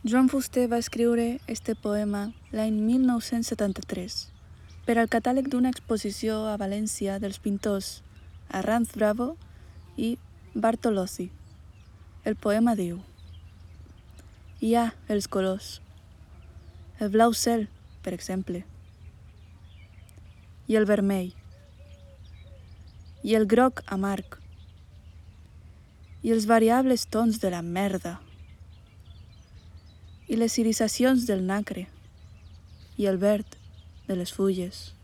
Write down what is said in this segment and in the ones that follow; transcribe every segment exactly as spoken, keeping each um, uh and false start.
Joan Fuster va escriure este poema l'any mil nou-cents setanta-tres per al catàleg d'una exposició a València dels pintors Arranz Bravo i Bartolozzi. El poema diu: hi ha els colors, el blau cel, per exemple, i el vermell, i el groc amarg, i els variables tons de la merda, i les irisacions del nacre, i el verd de les fulles,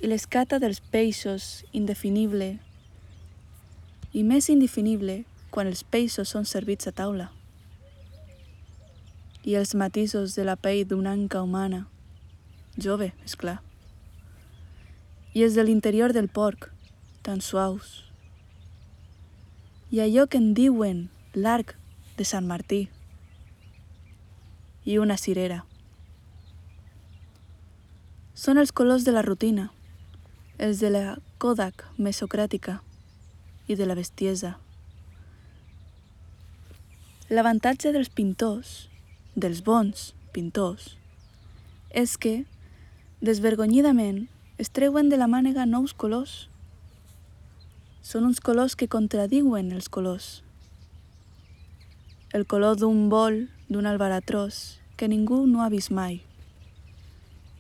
i l'escata dels peixos indefinible, i més indefinible quan els peixos són servits a taula, i els matisos de la pell d'una anca humana, jove, és clar, i els de l'interior del porc, tan suaus, i allò que en diuen l'arc de Sant Martí, i una cirera. Són els colors de la rutina, els de la Kodak mesocràtica i de la bestiesa. L'avantatge dels pintors, dels bons pintors, és que, desvergonyidament, es treuen de la mànega nous colors. Són uns colors que contradiuen els colors. El color d'un bol, d'un albaratrós, que ningú no ha vist mai.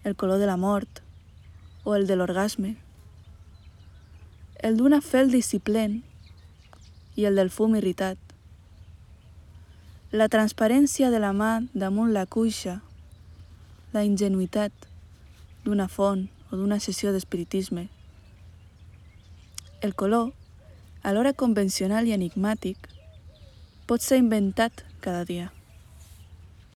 El color de la mort, o el de l'orgasme. El d'una fel disciplent i el del fum irritat. La transparència de la mà damunt la cuixa, la ingenuïtat d'una font o d'una sessió d'espiritisme. El color, alhora convencional i enigmàtic, pot ser inventat cada dia.